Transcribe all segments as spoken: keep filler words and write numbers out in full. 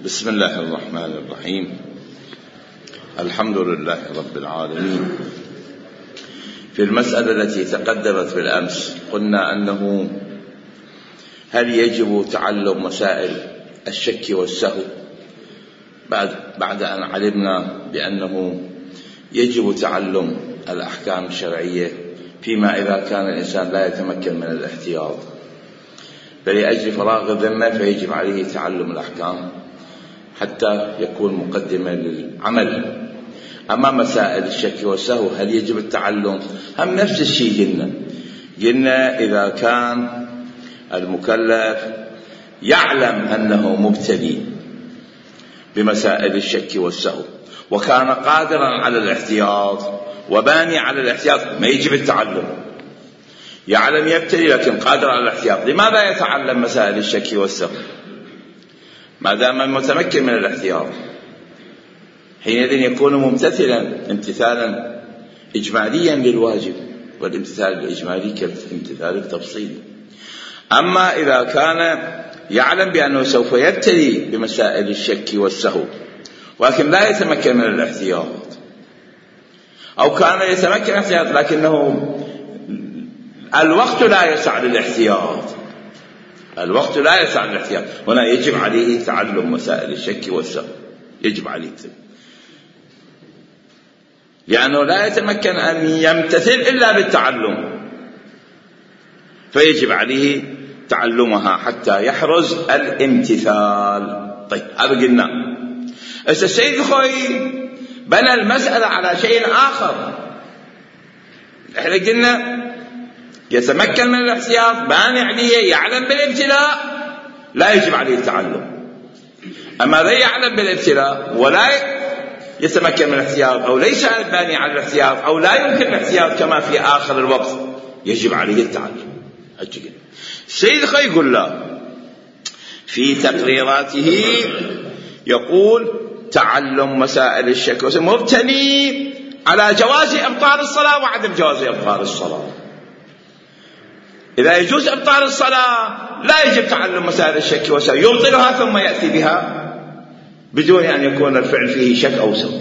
بسم الله الرحمن الرحيم. الحمد لله رب العالمين. في المسألة التي تقدمت بالأمس قلنا أنه هل يجب تعلم مسائل الشك والسهو بعد, بعد أن علمنا بأنه يجب تعلم الأحكام الشرعية فيما إذا كان الإنسان لا يتمكن من الاحتياط، فلأجل فراغ الذمة فيجب عليه تعلم الأحكام حتى يكون مقدما للعمل. أما مسائل الشك والسهو هل يجب التعلم؟ هم نفس الشيء قلنا قلنا إذا كان المكلف يعلم أنه مبتلي بمسائل الشك والسهو وكان قادرا على الاحتياط وباني على الاحتياط ما يجب التعلم. يعلم يبتلي لكن قادر على الاحتياط، لماذا يتعلم مسائل الشك والسهو ما دام متمكن من الاحتياط؟ حينئذ يكون ممتثلا امتثالا إجماليا للواجب، والامتثال الإجمالي كالامتثال التفصيلي. أما إذا كان يعلم بأنه سوف يبتلي بمسائل الشك والسهو ولكن لا يتمكن من الاحتياط، أو كان يتمكن من الاحتياط لكنه الوقت لا يسع للاحتياط الوقت لا يسع للاحتياط هنا يجب عليه تعلم مسائل الشك والسهو، يجب عليه، لأنه لا يتمكن أن يمتثل إلا بالتعلم، فيجب عليه تعلمها حتى يحرز الامتثال. طيب هذا قلنا. السيد الخوئي بنى المسألة على شيء آخر. احنا قلنا يتمكن من الاحتياط، باني عليه، يعلم بالابتلاء، لا يجب عليه التعلم. أما لا يعلم بالابتلاء ولا يتمكن من الاحتياط أو ليس باني على الاحتياط أو لا يمكن الاحتياط كما في آخر الوقت، يجب عليه التعلم. السيد الخوئي يقول لا، في تقريراته يقول تعلم مسائل الشك مبتني على جواز إبطال الصلاة وعدم جواز إبطال الصلاة. إذا يجوز إبطال الصلاة لا يجب تعلم مسائل الشك والسهو، يبطلها ثم يأتي بها بدون أن يكون الفعل فيه شك أو سهو.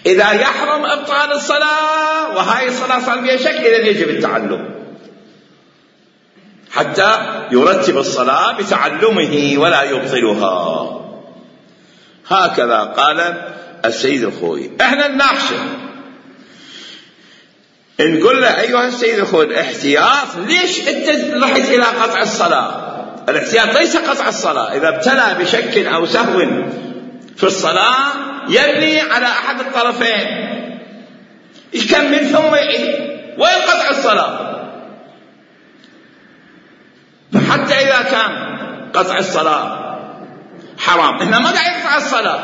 إذا يحرم إبطال الصلاة وهاي الصلاة صار فيها شك إذن يجب التعلم حتى يرتب الصلاة بتعلمه ولا يبطلها. هكذا قال السيد الخوئي. احنا نناقشه نقول له أيها السيد الخوئي الاحتياط ليش انت رحت إلى قطع الصلاة؟ الاحتياط ليس قطع الصلاة. إذا ابتلى بشك أو سهو في الصلاة يبني على أحد الطرفين، يكمل ثم يعيد وينقطع الصلاة. فحتى إذا كان قطع الصلاة حرام هنا ما قاعد يقطع الصلاة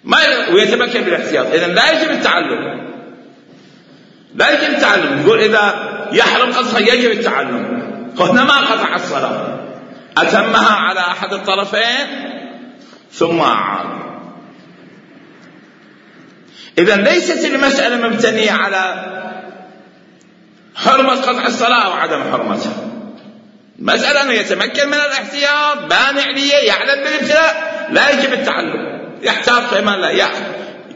ما ويتمكن بالاحتياط، إذن لا يجب التعلم لا يجب التعلم. يقول إذا يحرم قطعها يجب التعلم، هنا ما قطع الصلاة، أتمها على أحد الطرفين ثم أعاد. إذن ليست المسألة مبتنية على حرمة قطع الصلاة وعدم حرمتها، مسألة أنه يتمكن من الاحتياط، بانع ليه، يعلم بالابتلاء، لا يجب التعلم، يحتاط فيما لا يأخذ،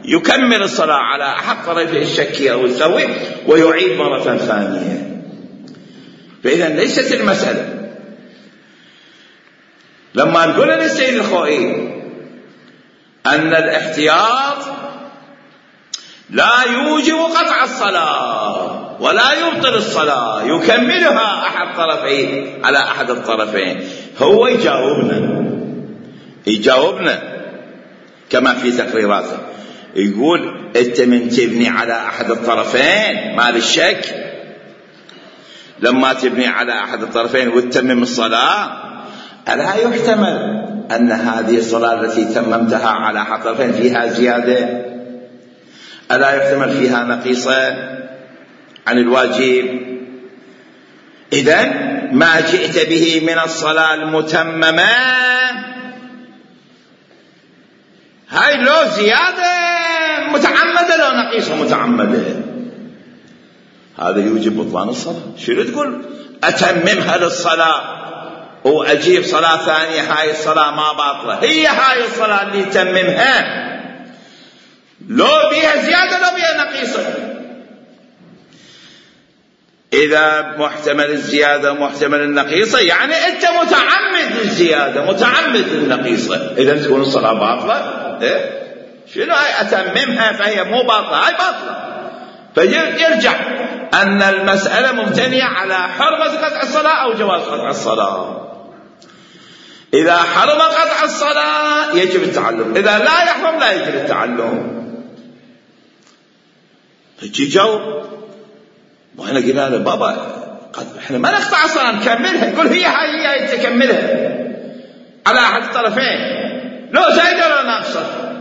يكمل الصلاة على أحد طرفي الشك أو السهو ويعيد مرة ثانية. فإذا ليست المسألة. لما نقول للسيد الخوئي أن الاحتياط لا يوجب قطع الصلاة ولا يبطل الصلاة، يكملها أحد طرفين على أحد الطرفين، هو يجاوبنا يجاوبنا كما في تقريراته، يقول أنت من تبني على أحد الطرفين مال الشك، لما تبني على أحد الطرفين وتتمم الصلاة ألا يحتمل أن هذه الصلاة التي تممتها على أحد الطرفين فيها زيادة؟ ألا يحتمل فيها نقيصة عن الواجب؟ إذن ما جئت به من الصلاة المتممة هاي لو زيادة متعمدة لو نقيصة متعمدة، هذا يوجب بطلان الصلاة. شو تقول أتممها للصلاة وأجيب صلاة ثانية هاي الصلاة ما باطلة، هي هاي الصلاة اللي تممها لو بيها زيادة لو بيها نقيصة. إذا محتمل الزيادة ومحتمل النقيصة يعني أنت متعمد الزيادة متعمد النقيصة، إذا تكون الصلاة باطلة. إيه؟ شنو هاي أتممها فهي مو باطلة، هاي باطلة. فيرجع أن المسألة مبتنية على حرمة قطع الصلاة أو جواز قطع الصلاة. إذا حرم قطع الصلاة يجب التعلم، إذا لا يحرم لا يجب التعلم. فجي جو وإحنا قلنا له بابا إحنا ما نقطع الصلاة نكملها، يقول هي هاي هي تكملها على أحد الطرفين لو زايدة ولا ناقصة.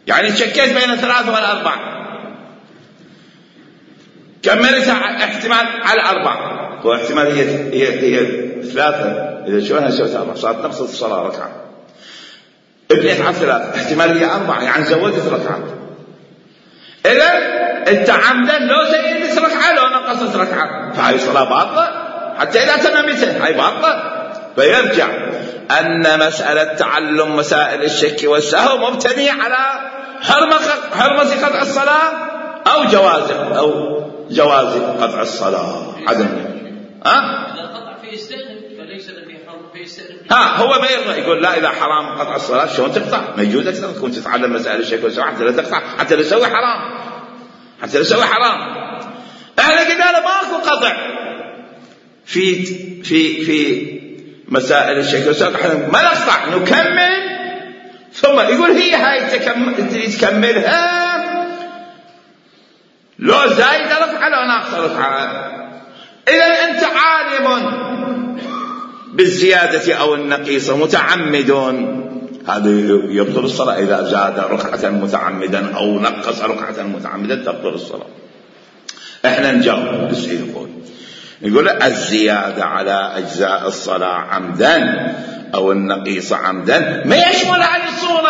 يعني شكيت بين الثلاثة والأربعة كملتها احتمال على أربعة، هو احتمال هي هي هي ثلاثة، إذا شلونها سويت أربعة صارت نقصت الصلاة ركعة. ابنيت على ثلاثة احتمال هي أربعة يعني زودت ركعة. إذا أنت عمدا لو زودت ركعة لو نقصت ركعة فهاي الصلاة باطلة حتى إذا تممتها هاي باطلة. فيرجع أن مسألة تعلم مسائل الشك والسهو مبتنية على حرمة قطع الصلاة أو جواز أو جواز قطع الصلاة عدم. ها؟ إذا قطع في يستأنف فليس الذي حرم في يستأنف. ها هو ما يرضى يقول لا إذا حرام قطع الصلاة شلون تقطع؟ ما يجوز أكثر تكون تتعلم مسائل الشك والسهو حتى لا تقطع حتى لا تسوي حرام حتى لا تسوي حرام. احنا قلنا له ماكو قطع في في في مسائل الشك والسهو، احنا ما نقطع نكمل. ثم يقول هي هاي تكملها لو زايد رفعة لو ناقص رفعة. إذا أنت عالم بالزيادة أو النقيصة متعمد هذا يبطل الصلاة. إذا زاد ركعة متعمدا أو نقص ركعة متعمدا تبطل الصلاة. احنا نجاوب بس يقول يقول الزيادة على أجزاء الصلاة عمدا أو النقيصة عمدا ما يشمل هذه الصورة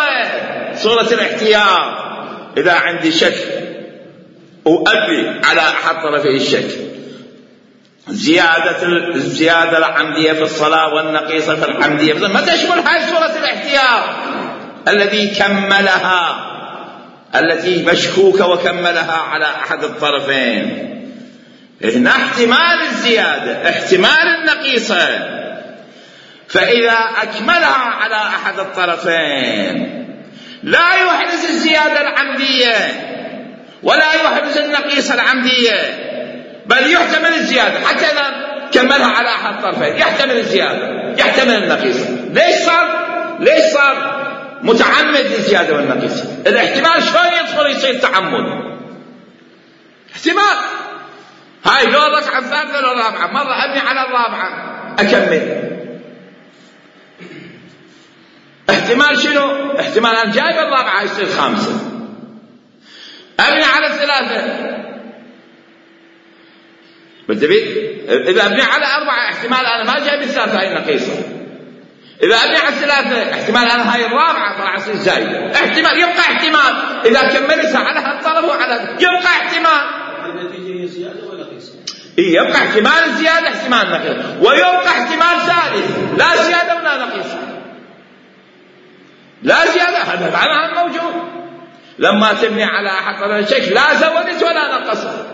صورة الاحتياط. إذا عندي شك وأبي على أحد طرفي الشك زيادة الزيادة العمدية في الصلاة والنقيصة في العمدية في ما تشمل هذه صورة الاحتياط الذي كملها التي مشكوكة وكملها على أحد الطرفين. هنا احتمال الزيادة احتمال النقيصة، فإذا أكملها على أحد الطرفين لا يحدث الزيادة العمدية ولا يحدث النقيصة العمدية، بل يحتمل الزيادة حتى إذا كملها على أحد الطرفين يحتمل الزيادة يحتمل النقيصة. ليش صار ليش صار متعمد الزيادة والنقيصة؟ الاحتمال شلون يدخل يصير تعمد؟ احتمال هاي لو ركعة الثالثة لو الرابعة مرة أبني على الرابعة أكمل. احتمال شنو؟ احتمال أن جايب الرابعة يصير خامسة أبني على الثلاثة بالتبيت. إذا أبني على أربعة احتمال أنا ما جايب الثالثة هاي النقيصة. إذا أبني على الثلاثة احتمال أنا هاي الرابعة طلع يصير زايد. احتمال يبقى احتمال إذا كملتها على هالطرف وعلى يبقى احتمال النتيجة هي زيادة ولا نقيصة؟ إيه يبقى احتمال زيادة احتمال نقيصة ويبقى احتمال ثالث لا زيادة ولا نقيصة. لا زيادة هذا معناها موجود. لما تبني على أحد طرف الشك لا زودت ولا نقصت.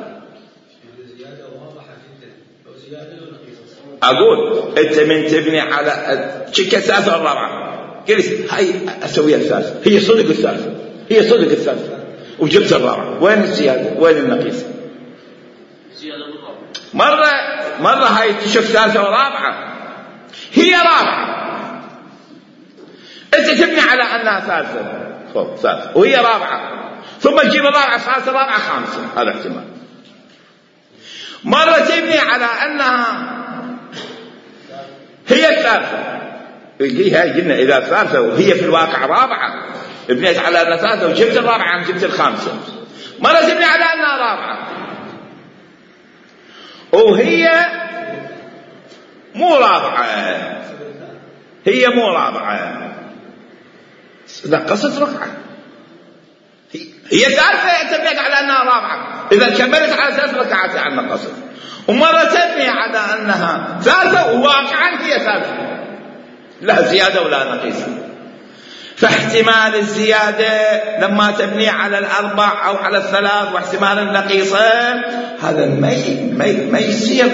أقول أنت من تبني على شكة الثالثة والرابعة قلت هاي أسويها الثالثة هي صدق الثالثة هي صدق الثالثة وجبت الرابعة وين الزيادة وين النقيصة؟ زيادة بالرابعة. مرة مرة هاي تشوف ثالثة ورابعة هي رابعة أنت تبني على أنها ثالثة فوق ثالثة وهي رابعة ثم تجيب الرابعة ثالثة رابعة خامسة هذا احتمال. مرة تبني على أنها هي الثالثة هي قلنا إذا ثالثة وهي في الواقع رابعة بنيت على أنها ثالثة وجبت الرابعة جبت الخامسة. مرة تبني على أنها رابعة وهي مو رابعة هي مو رابعة نقصت ركعة هي ثالثة تبنيت على أنها رابعة إذا كملت على ثلاث ركعات عن نقصت ومرة تبني على أنها ثالثة وواقعا هي ثالثة، لا زيادة ولا نقيصة. فاحتمال الزيادة لما تبني على الأربع أو على الثلاث، واحتمال النقيصة هذا ما يصير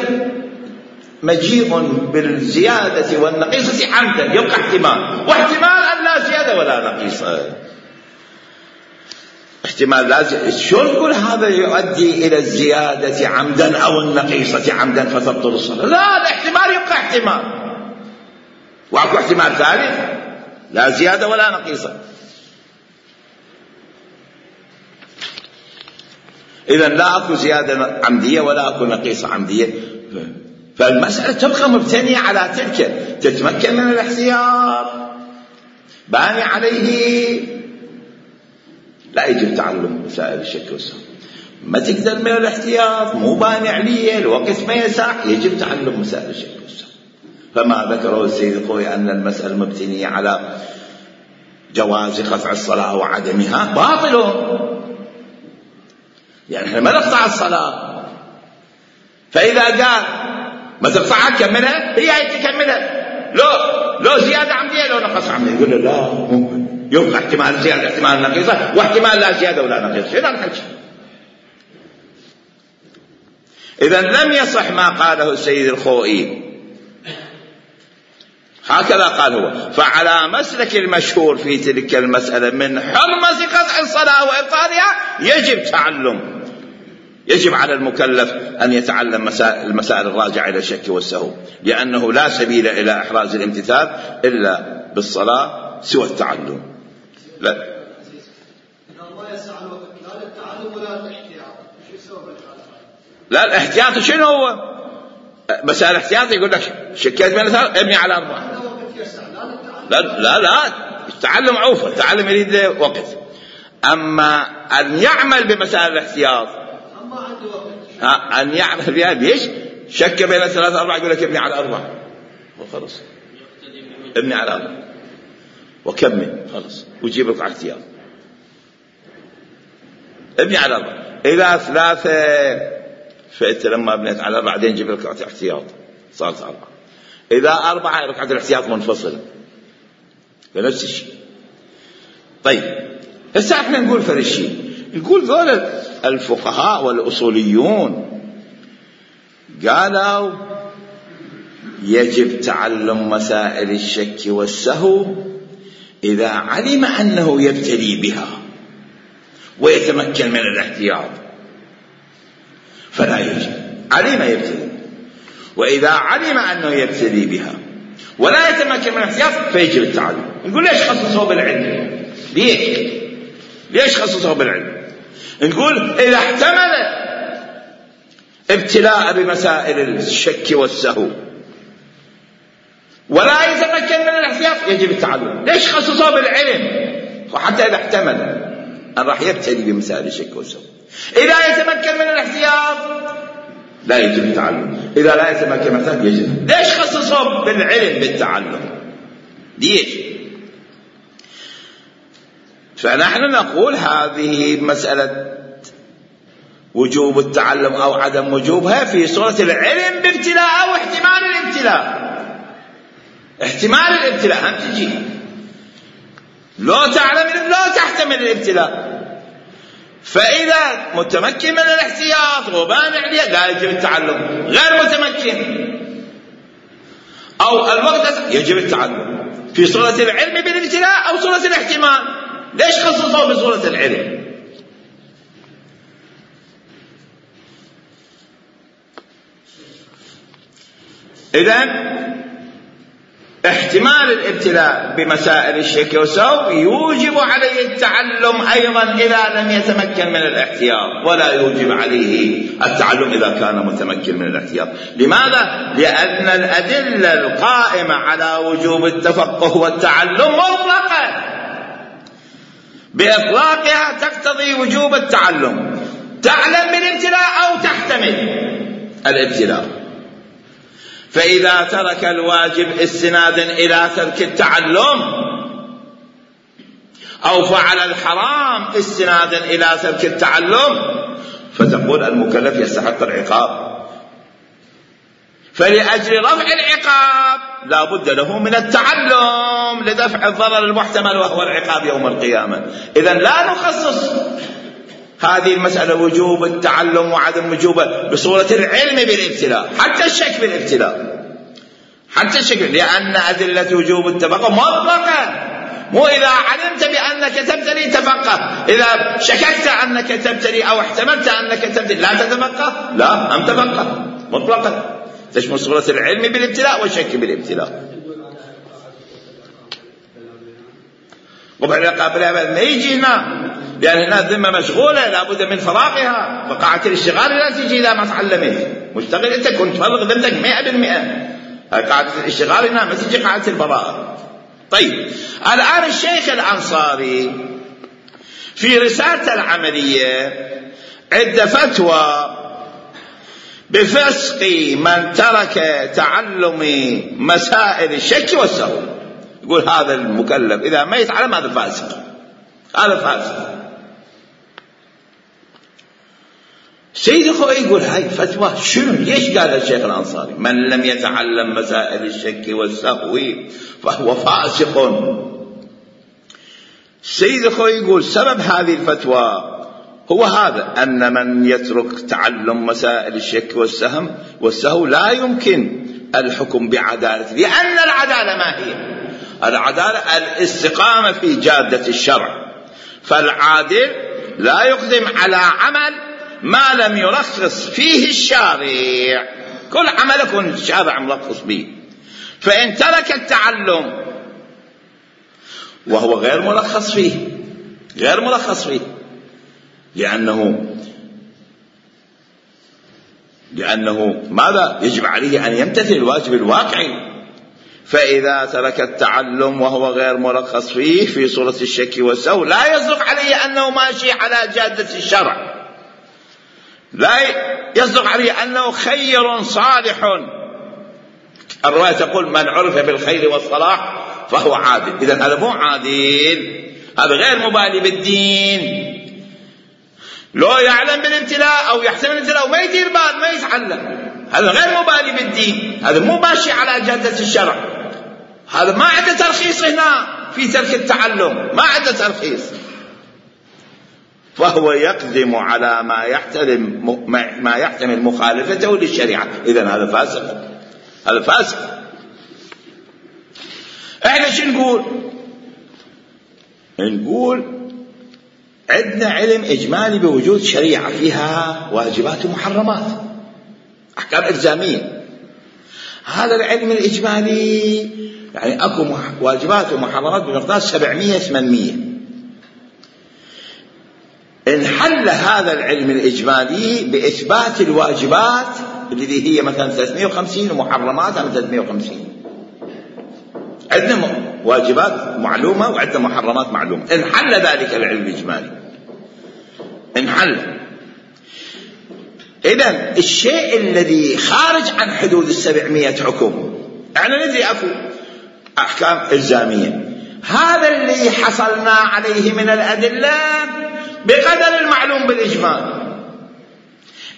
مجيء بالزيادة والنقيصة عمدا، يبقى احتمال، واحتمال أن لا زيادة ولا نقيصة. احتمال لازم شو نقول هذا يؤدي إلى الزيادة عمدا أو النقيصة عمدا فتبطل الصلاة؟ لا، الاحتمال يبقى احتمال، وأكو احتمال ثالث لا زيادة ولا نقيصة. إذن لا أكو زيادة عمدية ولا أكو نقيصة عمدية، فالمسألة تبقى مبتنية على تلك، تتمكن من الاحتياط باني عليه لا يجب تعلم مسائل الشك والسهو. ما تقدر من الاحتياط مو باني عليه، الوقت ما يسع، يجب تعلم مسائل الشك والسهو. فما ذكره السيد الخوئي أن المسألة مبتنية على جواز قطع الصلاة وعدمها باطل، يعني احنا ما نقطع الصلاة، فإذا قال ما تقطعها كملها، هي هي تكملها، لو لو زيادة عمدية لو نقص عمدية، يقول له لا ممكن، يبقى احتمال زيادة احتمال نقيصة، واحتمال لا زيادة ولا نقيصة. شنو الحكي؟ إذن لم يصح ما قاله السيد الخوئي، هكذا قال هو. فعلى مسلك المشهور في تلك المسألة من حرمة قطع الصلاة وإبطالها يجب تعلم، يجب على المكلف أن يتعلم المسائل الراجعة إلى الشك والسهو، لأنه لا سبيل إلى إحراز الامتثال إلا بالصلاة سوى التعلم. لا الله يسع الوقت، لا للتعلم ولا للاحتياط، شو السبب الحالة؟ لا الاحتياط شنو هو؟ مسائل الاحتياط يقول لك شكيت من الثلاث ابني على أربعة. لا لا لا التعلم عوفة، التعلم يريد له وقت. أما أن يعمل بمسائل الاحتياط أما عنده وقت ها أن يعمل بها، ليش؟ شك بين الثلاث أربعة يقول لك ابني على أربعة وخلص، ابني على أربعة وكمل خلص وجيب لك على احتياط، ابني على أربعة. إذا ثلاثة فأنت لما بنيت على أربعة بعدين جيب لك على احتياط صارت أربعة. إذا أربعة ركعة الاحتياط منفصلة بنفس الشيء. طيب هسه احنا نقول فرق الشيء، نقول ذول الفقهاء والأصوليون قالوا يجب تعلم مسائل الشك والسهو إذا علم أنه يبتلي بها ويتمكن من الاحتياط فلا يجب، علم يبتلي، وإذا علم أنه يبتلي بها ولا يتمكن من الاحتياط فيجب التعلم. نقول ليش خصصوه بالعلم؟ ليش ليش خصصوه بالعلم؟ نقول إذا احتمل ابتلاء بمسائل الشك والسهو ولا يتمكن من الاحتياط يجب التعلم. ليش خصصوه بالعلم؟ وحتى إذا احتمل أن راح يبتلي بمسائل الشك والسهو، إذا يتمكن من الاحتياط لا يجب التعلم، إذا لا يتمكن من الاحتياط يجب. ليش خصصوه بالعلم بالتعلم؟ ليش؟ فنحن نقول هذه مسألة وجوب التعلم أو عدم وجوبها في صورة العلم بابتلاء أو احتمال الابتلاء. احتمال الابتلاء هم تجي، لو تعلم لا تحتمل الابتلاء، فإذا متمكن من الاحتياط وبانع عليه لا يجب التعلم، غير متمكن أو الوقت يجب التعلم في صورة العلم بالابتلاء أو صورة الاحتمال. ليش خصصوا بصورة العلم؟ إذن احتمال الابتلاء بمسائل الشك والسهو يوجب عليه التعلم أيضا إذا لم يتمكن من الاحتياط، ولا يوجب عليه التعلم إذا كان متمكن من الاحتياط. لماذا؟ لأن الأدلة القائمة على وجوب التفقه والتعلم مطلقة، بإطلاقها تقتضي وجوب التعلم، تعلم بالابتلاء أو تحتمل الابتلاء. فإذا ترك الواجب استنادا إلى ترك التعلم أو فعل الحرام استنادا إلى ترك التعلم فتقول المكلف يستحق العقاب فلأجل رفع العقاب لا بد له من التعلم لدفع الضرر المحتمل وهو العقاب يوم القيامة. إذن لا نخصص هذه المسألة وجوب التعلم وعدم وجوبه بصورة العلم بالابتلاء، حتى الشك بالابتلاء، حتى الشك، لأن أدلة وجوب التفقه مطلقة. مو إذا علمت بأنك تبتلي تفقه، إذا شككت أنك تبتلي أو احتملت أنك تبتلي لا تتفقه، لا أم تفقه مطلقا، تشمل صورة العلم بالابتلاء والشك بالابتلاء. وبعد قابلها ما يجي هنا، لأن هنا الذمة مشغولة لابد من فراغها، فقاعة الاشتغال لا تجي إذا ما تعلمت، مشتغل أنت كنت فرغ ذمتك مئة بالمئة. قاعدة الاشتغال هنا ما تجي قاعدة البراءة. طيب الآن الشيخ الأنصاري في رسالته العملية عند فتوى بفسق من ترك تعلم مسائل الشك والسهو، يقول هذا المكلف إذا ما يتعلم هذا فاسق، هذا فاسق. سيد أخوي يقول هاي فتوى شنو؟ ليش قال الشيخ الأنصاري من لم يتعلم مسائل الشك والسهو فهو فاسق؟ سيد أخوي يقول سبب هذه الفتوى هو هذا، أن من يترك تعلم مسائل الشك والسهم والسهو لا يمكن الحكم بعدالة، لأن العدالة ما هي؟ العدالة الاستقامة في جادة الشرع، فالعادل لا يقدم على عمل ما لم يرخص فيه الشارع، كل عمل يكون الشارع مرخص به. فإن ترك التعلم وهو غير مرخص فيه، غير مرخص فيه لأنه لأنه ماذا؟ يجب عليه أن يمتثل الواجب الواقعي. فإذا ترك التعلم وهو غير مرخص فيه في صورة الشك والسهو لا يصدق عليه أنه ماشي على جادة الشرع، لا يصدق عليه أنه خير صالح. الرواية تقول من عرف بالخير والصلاح فهو عادل. إذن هذا مو عادل، هذا غير مبالي بالدين، لو يعلم بالابتلاء أو يحتمل الابتلاء وما يدير بال ما يتعلم، هذا غير مبالي بالدين، هذا مو ماشي على جادة الشرع، هذا ما عنده ترخيص هنا في ترك التعلم، ما عنده ترخيص، فهو يقدم على ما يحتمل ما يحتمل مخالفته للشريعة. إذن هذا فاسق، هذا فاسق. احنا شو نقول؟ نقول عندنا علم إجمالي بوجود شريعة فيها واجبات ومحرمات، أحكام إلزامية. هذا العلم الإجمالي يعني أكو واجبات ومحرمات بمقدار سبعمية ثمانمية. انحل هذا العلم الإجمالي بإثبات الواجبات التي هي مثلا ثلاثمية وخمسين ومحرمات عن ثلاثمية وخمسين. عندنا واجبات معلومة وعندنا محرمات معلومة. انحل ذلك العلم الإجمالي، انحل. إذن الشيء الذي خارج عن حدود السبعمية حكم، احنا ندري أكو أحكام إلزامية، هذا اللي حصلنا عليه من الأدلة بقدر المعلوم بالإجمال.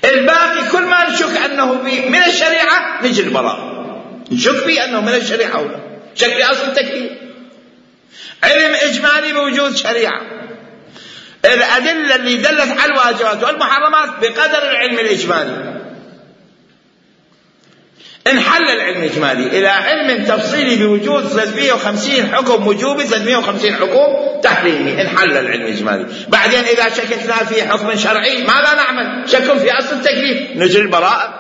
الباقي كل ما نشك أنه من الشريعة نجي البراء، نشك به أنه من الشريعة أو لا، شك بأصل التكليف. علم إجمالي بوجود شريعة، الأدلة اللي دلت على الواجبات والمحرمات بقدر العلم الإجمالي. انحل العلم الإجمالي إلى علم تفصيلي بوجود ثلاثمية وخمسين حكم وجوبي، ثلاثمية وخمسين حكم تحريمي. انحل العلم الإجمالي. بعدين إذا شككنا في حكم شرعي ماذا نعمل؟ شك في أصل التكليف، نجري البراءة.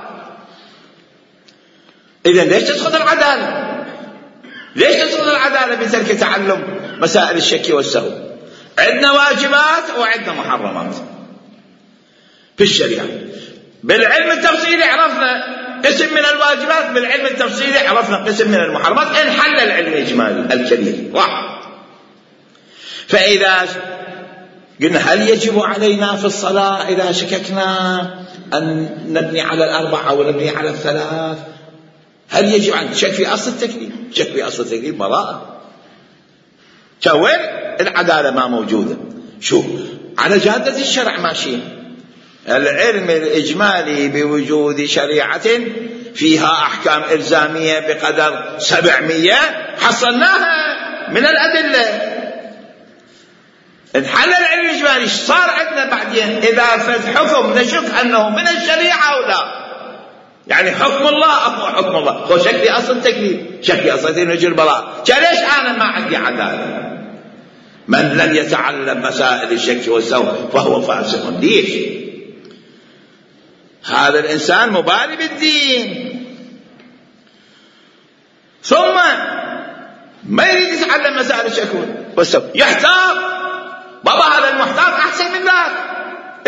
إذن ليش تسقط العدالة؟ ليش تسقط العدالة بترك تعلم مسائل الشك والسهو؟ عندنا واجبات وعندنا محرمات في الشريعة. بالعلم التفصيلي عرفنا قسم من الواجبات، بالعلم التفصيلي عرفنا قسم من المحرمات. انحل العلم الإجمالي الكبير واحد. فإذا قلنا هل يجب علينا في الصلاة إذا شككنا أن نبني على الأربعة أو نبني على الثلاث؟ هل يجب أن شك في أصل التكليف؟ شك في أصل التكليف براءة. وين العدالة ما موجودة؟ شوف على جادة الشرع ماشيين. العلم الإجمالي بوجود شريعة فيها أحكام إلزامية بقدر سبعمية حصلناها من الأدلة. انحل العلم الإجمالي. صار عندنا بعدين إذا فد حكم نشك أنه من الشريعة أو لا، يعني حكم الله أو حكم الله، هو شك في أصل تكليف، شك في أصل تنجي البراءة، ليش أنا ما عندي عدالة؟ من لم يتعلم مسائل الشك والسوء فهو فاسق. ليش؟ هذا الإنسان مبالي بالدين، ثم ما يريد يتعلم مسائل الشك والسوء، يحتاط. بابا هذا المحتاط أحسن من ذاك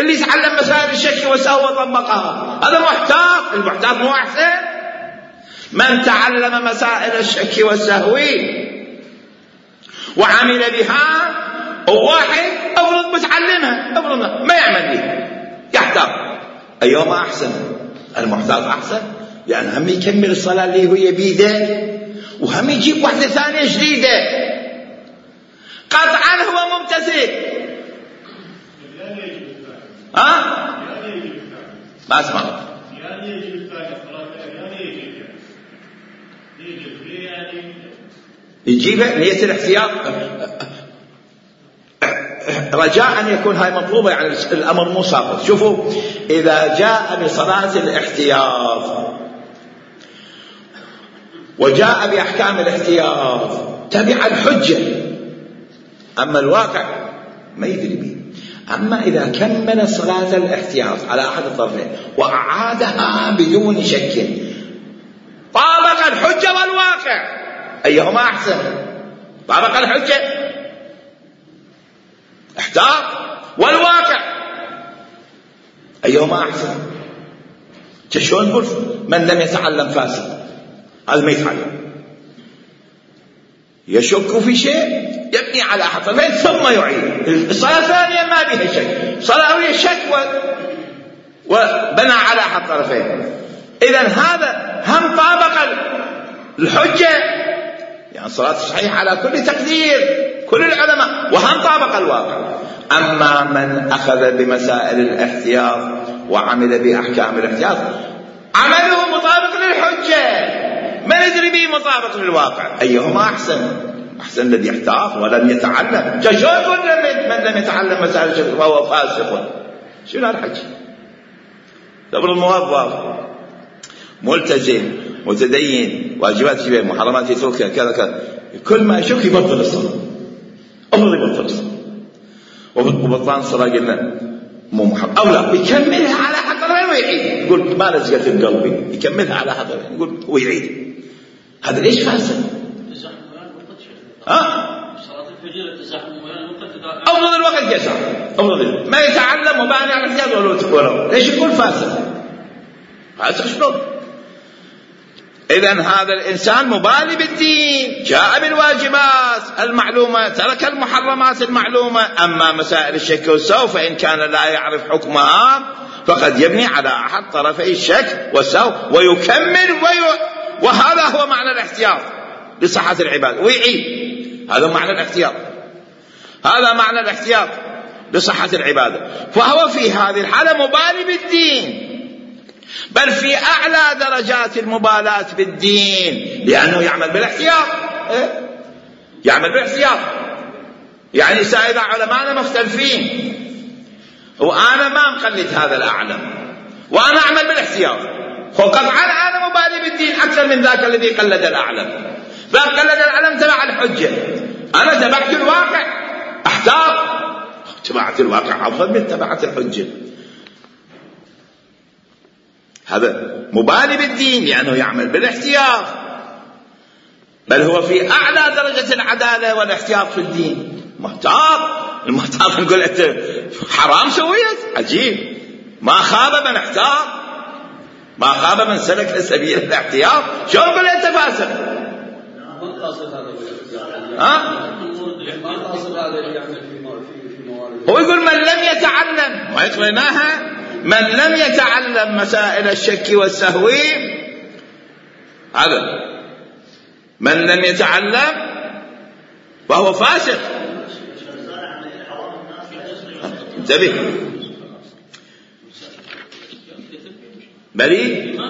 اللي يتعلم مسائل الشك والسوء وطبقها، هذا محتاط. المحتاط مو أحسن؟ من تعلم مسائل الشك والسهو وعمل بها، وواحد أفرض متعلمها أفرض ما يعمل بها يحتاط، أيهما أحسن؟ المحتاط أحسن، لأن هم يكمل الصلاة اللي هو بيده، وهم يجيب واحدة ثانية جديدة، قطعا هو ممتثل. ها؟ ما اسمع. يجيبها نية الاحتياط رجاء أن يكون هاي مطلوبة، يعني الأمر مو ساقط. شوفوا، إذا جاء بصلاة الاحتياط وجاء بأحكام الاحتياط تبع الحجة، أما الواقع ما يدري به. أما إذا كمل صلاة الاحتياط على أحد الطرفين وأعادها بدون شك طابق الحجة والواقع، أيهما أحسن؟ طابق الحجة احتاط، والواقع أيهما أحسن؟ شلون نقول من لم يتعلم فاسد؟ هذا ما يتعلم، يشك في شيء يبني على أحد الطرفين ثم يعيد. الصلاة الثانية ما بها شك، صلاة أولية شك وبنى على أحد الطرفين. إذن هذا هم طابق الحجة، يعني الصلاة صحيحة على كل تقدير كل العلماء، وهم طابق الواقع. أما من أخذ بمسائل الاحتياط وعمل بأحكام الاحتياط عمله مطابق للحجة، ما ندري به مطابق للواقع، أيهما أحسن؟ أحسن الذي يحتاط ولم يتعلم. شلون من لم يتعلم مسائل الشرك وهو فاسق؟ شنو الحج؟ تبر الموظف ملتزم متدين واجبات شبه محرمات يتركها كذا كذا، كل ما يشك يبطل الصلاة، أمر يبطل الصلاة، وبطلان الصلاة قلنا مو محرم أو لا، يكملها على حقها ويعيد، يقول ما لزقت بقلبي، يكملها على حقها يقول ويعيد. هذا ليش فاسد؟ ها؟ صلاة الفجر التزاحم أفضل الوقت يسع، أفضل ما يتعلم وباني على الاحتياط ولو ليش يقول فاسد؟ فاسد شلون؟ إذن هذا الإنسان مبالي بالدين، جاء بالواجبات المعلومة ترك المحرمات المعلومة. أما مسائل الشك والسوء فإن كان لا يعرف حكمها فقد يبني على أحد طرفي الشك والسوء ويكمل وي... وهذا هو معنى الاحتياط لصحة العبادة ويعيد. هذا معنى الاحتياط، هذا معنى الاحتياط لصحة العبادة. فهو في هذه الحالة مبالي بالدين، بل في أعلى درجات المبالاة بالدين، لأنه يعمل بالاحتياط. إيه؟ يعمل بالاحتياط. يعني سائر علماءنا مختلفين وأنا ما مقلد هذا الأعلم وأنا أعمل بالاحتياط، وقطعا أنا مبالي بالدين أكثر من ذاك الذي قلد الأعلم. فقلد الأعلم تبع الحجة، أنا تبعت الواقع أحتاط، تبعت الواقع أفضل من تبعت الحجة. هذا مبالي بالدين لأنه يعمل بالاحتياط، بل هو في أعلى درجة العدالة والاحتياط في الدين. محتاط، المحتاط نقول أنت حرام سويت، عجيب. ما خاب من احتاط، ما خاب من سلك سبيل الاحتياط. شو نقول أنت فاسق؟ ها؟ هو يقول من لم يتعلم، ويقرناها من لم يتعلم مسائل الشك والسهو، هذا من لم يتعلم وهو فاسق. انتبه، بريء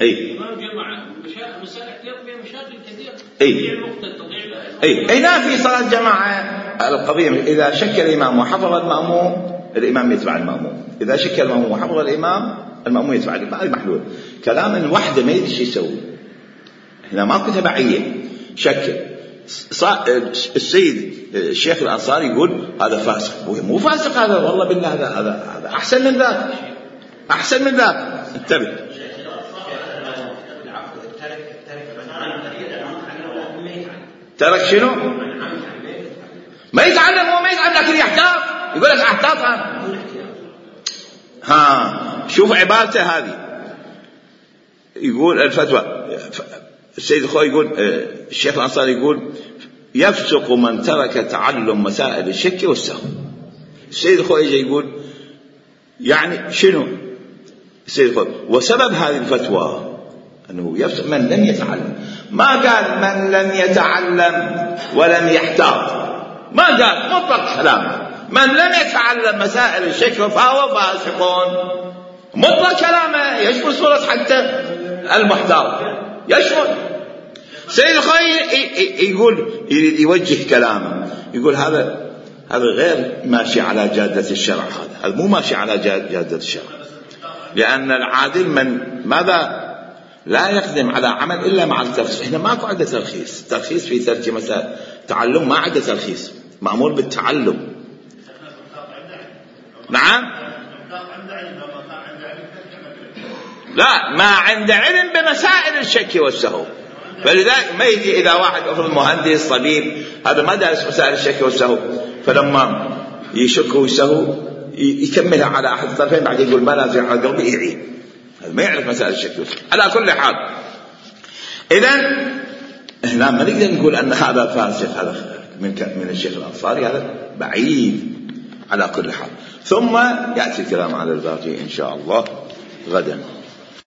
اي الإمام جمع مشاكل مسائل احتياط فيها مشاكل كثيرة. اي تضيع الوقت تضيع اي اي نعم. في صلاة جماعة القضية اذا شك الامام وحفظ المأموم الامام يتبع المأموم، اذا شك المأموم وحفظ الامام المأموم يتبع الامام. هذا محلول. كلام الوحدة ما يدري شو يسوي. هنا ماكو تبعية. شك السيد الشيخ الأنصاري يقول هذا فاسق، مو فاسق هذا، والله بالله هذا هذا هذا أحسن من ذاك، أحسن من ذاك. انتبه. ترك شنو؟ ما يتعلم. هو ما يتعلم لكن يحتاط. يقول لك احتاط. ها شوف عبارته هذه. يقول الفتوى السيد الخوي يقول الشيخ الأنصاري يقول يفسق من ترك تعلم مسائل الشك والسهو. السيد الخوي يجي يقول يعني شنو السيد الخوي؟ وسبب هذه الفتوى أنه يفسق من لم يتعلم. ما قال من لم يتعلم ولم يحتاط، ما قال، مطلق كلامه من لم يتعلم مسائل الشك فهو فاسق. مطلق كلامه يشمل صورة حتى المحتاط، يشمل. سيد الخوي يقول يريد يوجه كلامه، يقول هذا هذا غير ماشي على جادة الشرع. هذا هذا مو ماشي على جادة الشرع، لأن العادل من ماذا لا يقدم على عمل إلا مع الترخيص. إحنا ماكو عنده ترخيص. ترخيص في ترك مسائل تعلم، ما عنده ترخيص، مأمور بالتعلم. نعم. لا، ما عنده علم بمسائل الشك والسهو. فلذلك ما يجي إذا واحد أفرض مهندس طبيب هذا ما دارس مسائل الشك والسهو، فلما يشك ويسهو يكملها على أحد الطرفين بعد يقول ما نازل على قلبي يعيد. هذا ما يعرف مسائل الشك والسهو. على كل حال إذن هنا ما نقدر نقول أن هذا فاسق، هذا من من الشيخ الأنصاري، هذا بعيد على كل حال. ثم يأتي الكلام على الباقي إن شاء الله غدا.